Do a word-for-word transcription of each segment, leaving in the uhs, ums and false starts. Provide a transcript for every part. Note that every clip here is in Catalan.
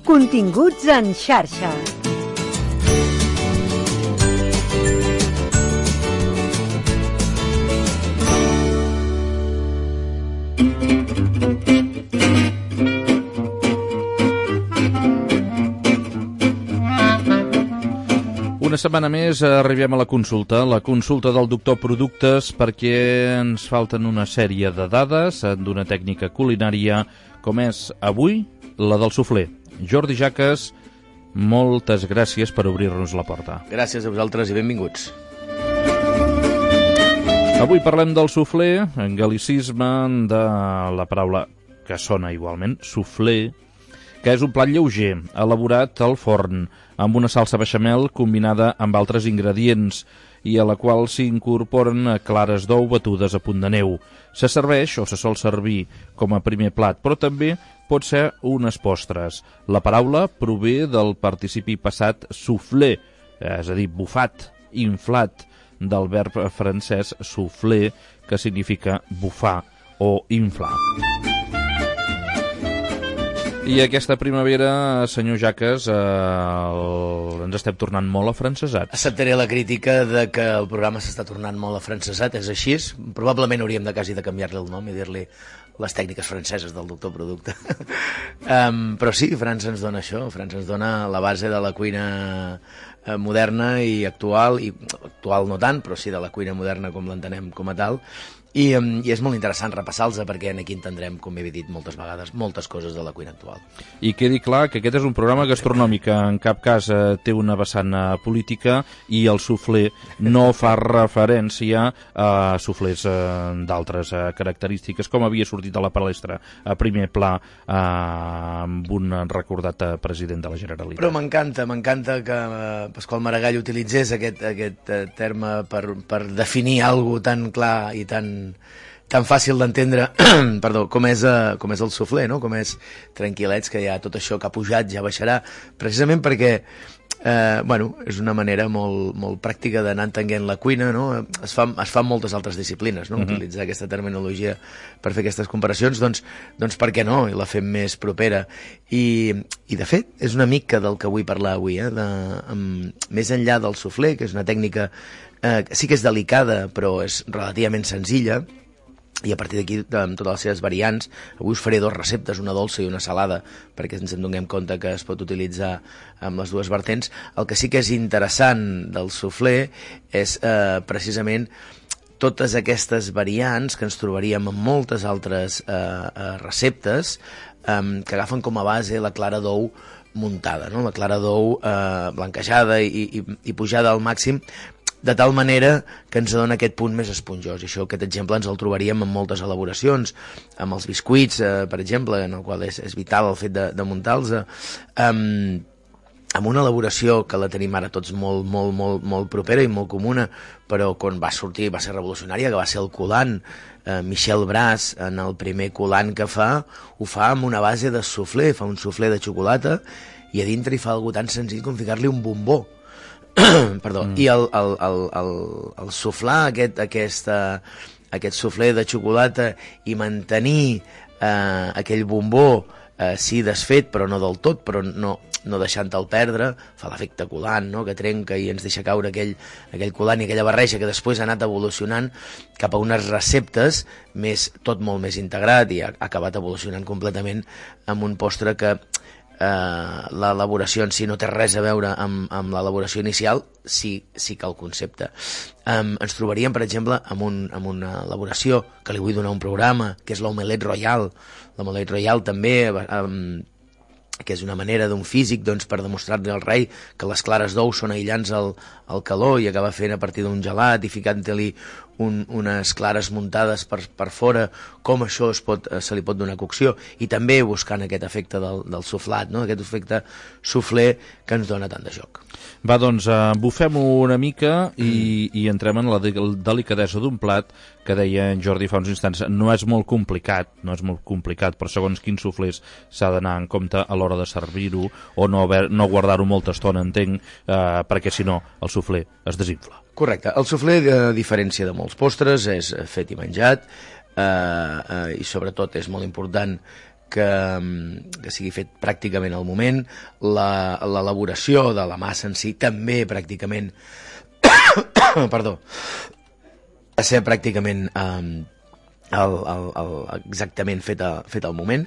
Continguts en xarxa. Una setmana més arribem a la consulta, la consulta del doctor Productes, perquè ens falten una sèrie de dades d'una tècnica culinària com és avui la del suflé. Jordi Jaques, moltes gràcies per obrir-nos la porta. Gràcies a vosaltres i benvinguts. Avui parlem del suflé, en gal·licisme de la paraula que sona igualment, suflé, que és un plat lleuger, elaborat al forn, amb una salsa beixamel combinada amb altres ingredients i a la qual s'incorporen clares d'ou batudes a punt de neu. Se serveix o se sol servir com a primer plat, però també pot ser unes postres. La paraula prové del participi passat souffler, és a dir, bufat, inflat, del verb francès souffler, que significa bufar o inflar. I aquesta primavera, senyor Jaques, eh, el... ens estem tornant molt afrancesats. Acceptaré la crítica de que el programa s'està tornant molt afrancesat, és així. Probablement hauríem de quasi de canviar-li el nom i dir-li les tècniques franceses del doctor Producte. um, però sí, França ens dona això, França ens dona la base de la cuina eh, moderna i actual, i actual no tant, però sí de la cuina moderna com l'entenem com a tal. I, I és molt interessant repassar-los perquè aquí entendrem, com he dit moltes vegades, moltes coses de la cuina actual. I quedi clar que aquest és un programa gastronòmic, que en cap cas eh, té una vessant eh, política, i el suflé no fa referència a suflés eh, d'altres eh, característiques, com havia sortit a la palestra a primer pla eh, amb un recordat eh, president de la Generalitat. Però m'encanta, m'encanta que eh, Pasqual Maragall utilitzés aquest, aquest eh, terme per, per definir alguna cosa tan clar i tan tan fàcil d'entendre perdó, com és, uh, com és el suflé, no? Com és tranquil·lets, que ja tot això que ha pujat ja baixarà, precisament perquè eh, bueno, és una manera molt, molt pràctica d'anar entenent la cuina, no? Es fa, es fa en moltes altres disciplines, no? Uh-huh. Utilitzar aquesta terminologia per fer aquestes comparacions, doncs, doncs per què no? I la fem més propera. I, i de fet, és una mica del que vull parlar avui, eh? De, um, més enllà del suflé, que és una tècnica eh, sí que és delicada, però és relativament senzilla, i a partir d'aquí, amb totes les seves variants, avui us faré dues receptes, una dolça i una salada, perquè ens en donem compte que es pot utilitzar amb les dues vertents. El que sí que és interessant del suflé és eh, precisament totes aquestes variants que ens trobaríem en moltes altres eh, eh, receptes eh, que agafen com a base la clara d'ou muntada, no? La clara d'ou eh, blanquejada i, i, i pujada al màxim, de tal manera que ens dona aquest punt més esponjós. I això, aquest exemple ens el trobaríem en moltes elaboracions, amb els biscuits, eh, per exemple, en el qual és, és vital el fet de, de muntar-los, eh, amb, amb una elaboració que la tenim ara tots molt, molt, molt, molt propera i molt comuna, però quan va sortir va ser revolucionària, que va ser el coulant. eh, Michel Bras, en el primer coulant que fa, ho fa amb una base de suflé, fa un suflé de xocolata, i a dintre hi fa algo tan senzill com ficar-li un bombó. Perdó, mm. I el, el, el, el, el suflar aquest, aquesta, aquest suflé de xocolata i mantenir eh, aquell bombó, eh, sí desfet, però no del tot, però no, no deixant-te'l perdre, fa l'efecte coulant, no? Que trenca i ens deixa caure aquell, aquell coulant i aquella barreja que després ha anat evolucionant cap a unes receptes més, tot molt més integrat, i ha, ha acabat evolucionant completament amb un postre que Uh, l'elaboració en si no té res a veure amb, amb l'elaboració inicial, sí, sí que el concepte. Um, ens trobaríem, per exemple, amb, un, amb una elaboració que li vull donar un programa, que és l'omelette royal. L'omelette royal també, um, que és una manera d'un físic, doncs, per demostrar-li al rei que les clares d'ou són aïllants al, al calor, i acaba fent a partir d'un gelat i ficant-li un, unes clares muntades per, per fora, com això es pot, se li pot donar cocció, i també buscant aquest efecte del, del suflat, no? Aquest efecte suflé que ens dona tant de joc. Va, doncs, uh, bufem-ho una mica i, mm. i entrem en la de delicadesa d'un plat que deia en Jordi fa uns instants. No és molt complicat, no és molt complicat, però segons quins suflés s'ha d'anar en compte a l'hora de servir-ho, o no, haver, no guardar-ho molta estona, entenc, uh, perquè si no el suflé es desinfla. Correcte. El suflé, a diferència de molts postres, és fet i menjat, eh, eh, i sobretot és molt important que, que sigui fet pràcticament al moment, l'elaboració de la massa en si també pràcticament perdó a ser pràcticament um, el, el, el, exactament fet, a, fet al moment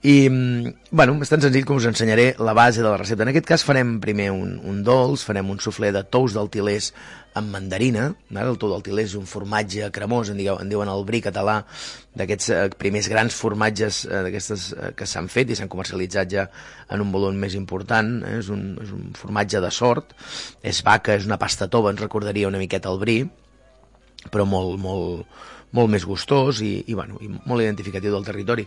i bueno, és tan senzill com us ensenyaré la base de la recepta. En aquest cas farem primer un, un dolç, farem un suflé de tous del Til·lers amb mandarina. El tou del Til·lers és un formatge cremós, en, digueu, en diuen el brie català, d'aquests eh, primers grans formatges eh, d'aquestes eh, que s'han fet i s'han comercialitzat ja en un volum més important. Eh? És, un, és un formatge de sort, és vaca, és una pasta tova, ens recordaria una miqueta el brie, però molt, molt, molt més gustós i, i, bueno, i molt identificatiu del territori.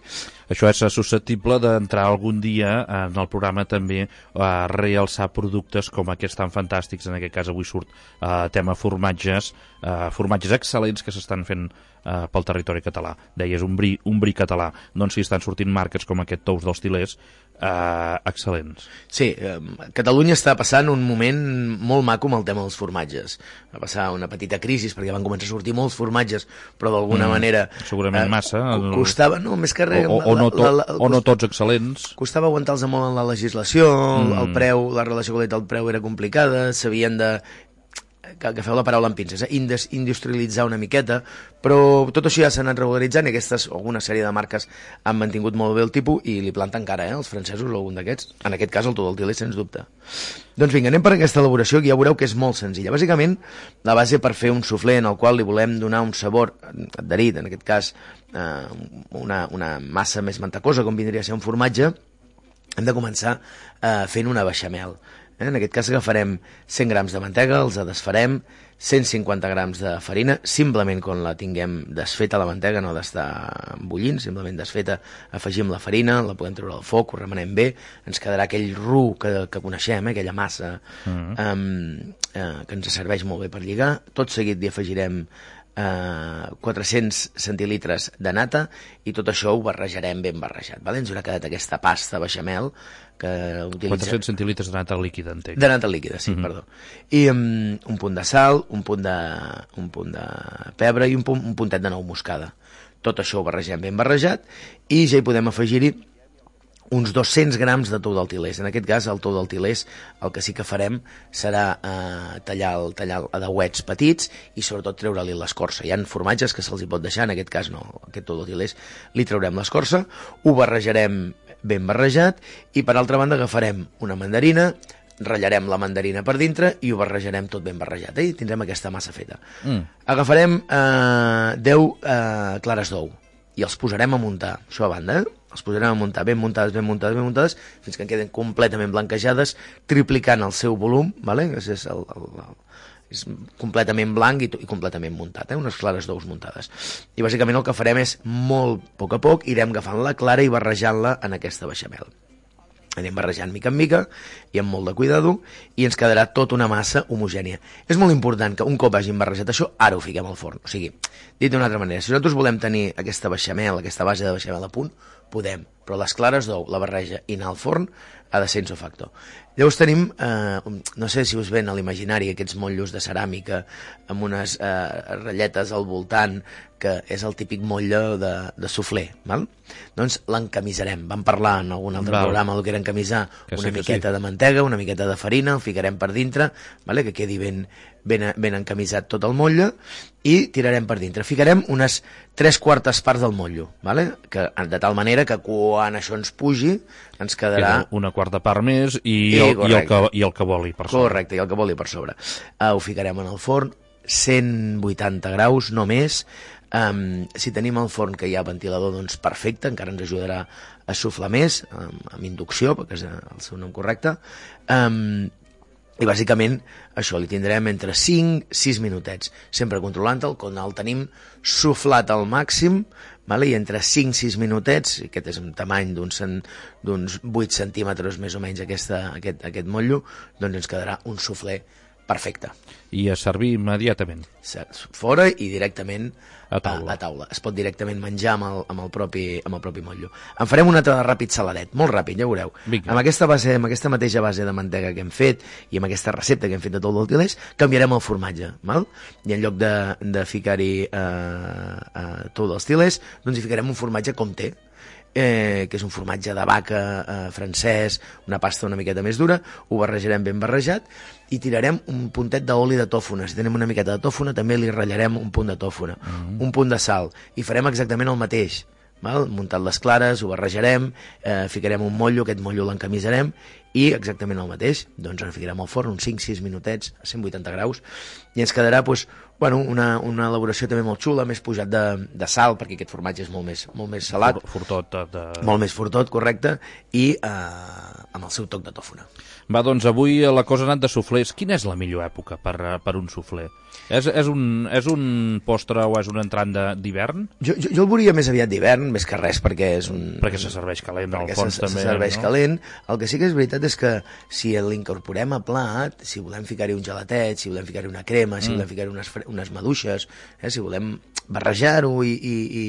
Això és susceptible d'entrar algun dia en el programa també a realçar productes com aquests tan fantàstics, en aquest cas avui surt uh, tema formatges, uh, formatges excel·lents que s'estan fent uh, pel territori català. Deies un brie, un brie català, doncs si estan sortint marques com aquest tous dels Til·lers, Uh, excel·lents. Sí, eh, Catalunya està passant un moment molt maco amb el tema dels formatges. Va passar una petita crisi perquè van començar a sortir molts formatges, però d'alguna mm, manera... Segurament eh, massa. Costava, no, més que res... O, o, o, no, to, la, la, o no tots excel·lents. Costava aguantar-los molt en la legislació, mm. el preu, la relació qualitat-preu era complicada, s'havien de... que agafeu la paraula amb pinces, eh? industrialitzar una miqueta, però tot això ja s'ha anat regularitzant i aquestes, alguna sèrie de marques han mantingut molt bé el tipus i li planten cara, eh? Els francesos o algun d'aquests, en aquest cas el tou del Til·ler, sens dubte. Doncs vinga, anem per aquesta elaboració que ja veureu que és molt senzilla. Bàsicament, la base per fer un suflé en el qual li volem donar un sabor adherit, en aquest cas eh, una, una massa més mantecosa, com vindria a ser un formatge, hem de començar eh, fent una beixamel. En aquest cas agafarem cent grams de mantega, els desfarem, cent cinquanta grams de farina, simplement quan la tinguem desfeta la mantega, no d'estar bullint, simplement desfeta, afegim la farina, la podem treure al foc, ho remenem bé, ens quedarà aquell ru que, que coneixem, eh, aquella massa uh-huh. um, eh, que ens serveix molt bé per lligar. Tot seguit li afegirem Uh, quatre-cents centilitres de nata i tot això ho barrejarem ben barrejat, vale? Ens haurà quedat aquesta pasta beixamel que utilitza... quatre-cents centilitres de nata líquida, entenc. De nata líquida, sí, uh-huh. perdó. I um, un punt de sal, un punt de, un punt de pebre i un, punt, un puntet de nou moscada. Tot això ho barregem ben barrejat i ja hi podem afegir-hi uns dos-cents grams de tou del Til·lers. En aquest cas, el tou del Til·lers, el que sí que farem serà eh, tallar, el, tallar a dauets petits i sobretot treure-li l'escorça. Hi ha formatges que se'ls hi pot deixar, en aquest cas no, aquest tou del Til·lers li traurem l'escorça, ho barrejarem ben barrejat i per altra banda agafarem una mandarina, ratllarem la mandarina per dintre i ho barrejarem tot ben barrejat, eh? I tindrem aquesta massa feta. Mm. Agafarem eh, deu eh, clares d'ou i els posarem a muntar, això a banda, eh? Els posarem a muntar ben muntades, ben muntades, ben muntades, fins que en queden completament blanquejades, triplicant el seu volum, vale? és, és, el, el, el, és completament blanc i, i completament muntat, eh? Unes clares d'ous muntades. I bàsicament el que farem és, molt a poc a poc, irem agafant la clara i barrejant-la en aquesta beixamel. Anem barrejant mica en mica i amb molt de cuidado i ens quedarà tota una massa homogènia. És molt important que un cop hagin barrejat això, ara ho fiquem al forn. O sigui, dit d'una altra manera, si nosaltres volem tenir aquesta beixamel, aquesta base de beixamel a punt, podem, però les clares d'ou, la barreja i anar al forn ha de ser ipso facto. Llavors tenim, eh, no sé si us ven a l'imaginari aquests motllos de ceràmica amb unes eh, ratlletes al voltant, que és el típic motlle de, de suflé, val? Doncs l'encamisarem. Vam parlar en algun altre val. programa del que era encamisar que una sí, miqueta sí. de mantega, una miqueta de farina, el ficarem per dintre, vale? Que quedi ben, ben, ben encamisat tot el motlle, i tirarem per dintre. Ficarem unes tres quartes parts del motllo, vale? Que, de tal manera que quan això ens pugi, ens quedarà... Queda una quarta part més i, I, el, i, el, que, i el que voli per sobre. Correcte, i el que voli per sobre. Uh, ho ficarem en el forn, cent vuitanta graus, no més. Um, si tenim el forn que hi ha ventilador, doncs perfecte, encara ens ajudarà a suflar més, um, amb inducció, perquè és el seu nom correcte. Um, I bàsicament això li tindrem entre cinc a sis minutets, sempre controlant-el, quan el tenim suflat al màxim, vale? I entre cinc a sis minutets, aquest és un tamany d'uns vuit centímetres més o menys aquesta, aquest, aquest motllo, doncs ens quedarà un suflé perfecte. I a servir immediatament. Fora i directament a taula. A, a taula. Es pot directament menjar amb el, amb el, propi, amb el propi motllo. En farem un altre ràpid saladet, molt ràpid, ja veureu. Vinga. Amb aquesta, base, amb aquesta mateixa base de mantega que hem fet i amb aquesta recepta que hem fet de tou del Til·lers, canviarem el formatge, val? I en lloc de, de ficar-hi eh, eh, tou dels Til·lers, doncs hi ficarem un formatge com té. eh, que és un formatge de vaca eh, francès, una pasta una miqueta més dura, ho barrejarem ben barrejat i tirarem un puntet d'oli de tòfona. Si tenim una miqueta de tòfona també li ratllarem un punt de tòfona, mm-hmm. un punt de sal, i farem exactament el mateix. Val? Muntat les clares, ho barrejarem, eh, ficarem un mollo, aquest mollo l'encamisarem i exactament el mateix, doncs en ficarem al forn uns cinc sis minutets a cent vuitanta graus i ens quedarà doncs, bueno, una, una elaboració també molt xula, més pujat de, de sal, perquè aquest formatge és molt més, molt més salat. Fortot. De... Molt més fortot, correcte, i eh, amb el seu toc de tòfona. Va, doncs avui la cosa ha anat de suflers. Quina és la millor època per, per un sufler? És, és, un, és un postre o és un entrant d'hivern? Jo, jo, jo el veuria més aviat d'hivern, més que res, perquè és un... Perquè se serveix calent, al fons se, també. se serveix no? calent. El que sí que és veritat és que si l'incorporem a plat, si volem ficar-hi un gelatet, si volem ficar-hi una crema, si mm. volem ficar-hi unes, unes maduixes, eh, si volem barrejar-ho i, i, i,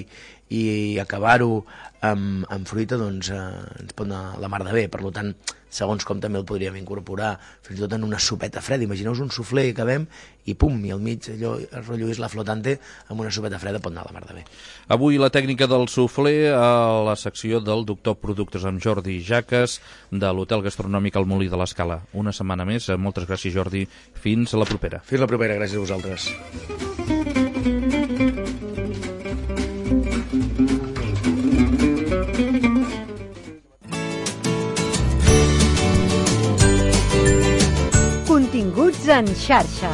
i acabar-ho amb, amb fruita, doncs eh, ens pot anar la mar de bé. Per tant, segons com també el podríem incorporar fins i tot en una sopeta freda. Imagineu-vos un suflé i acabem i pum, i al mig allò, el rotllo és la flotante, amb una sopeta freda pot anar a la mar de bé. Avui la tècnica del suflé a la secció del Doctor Productes amb Jordi Jaques de l'Hotel Gastronòmic al Molí de l'Escala. Una setmana més. Moltes gràcies, Jordi. Fins a la propera. Fins la propera. Gràcies a vosaltres. Continguts en xarxa.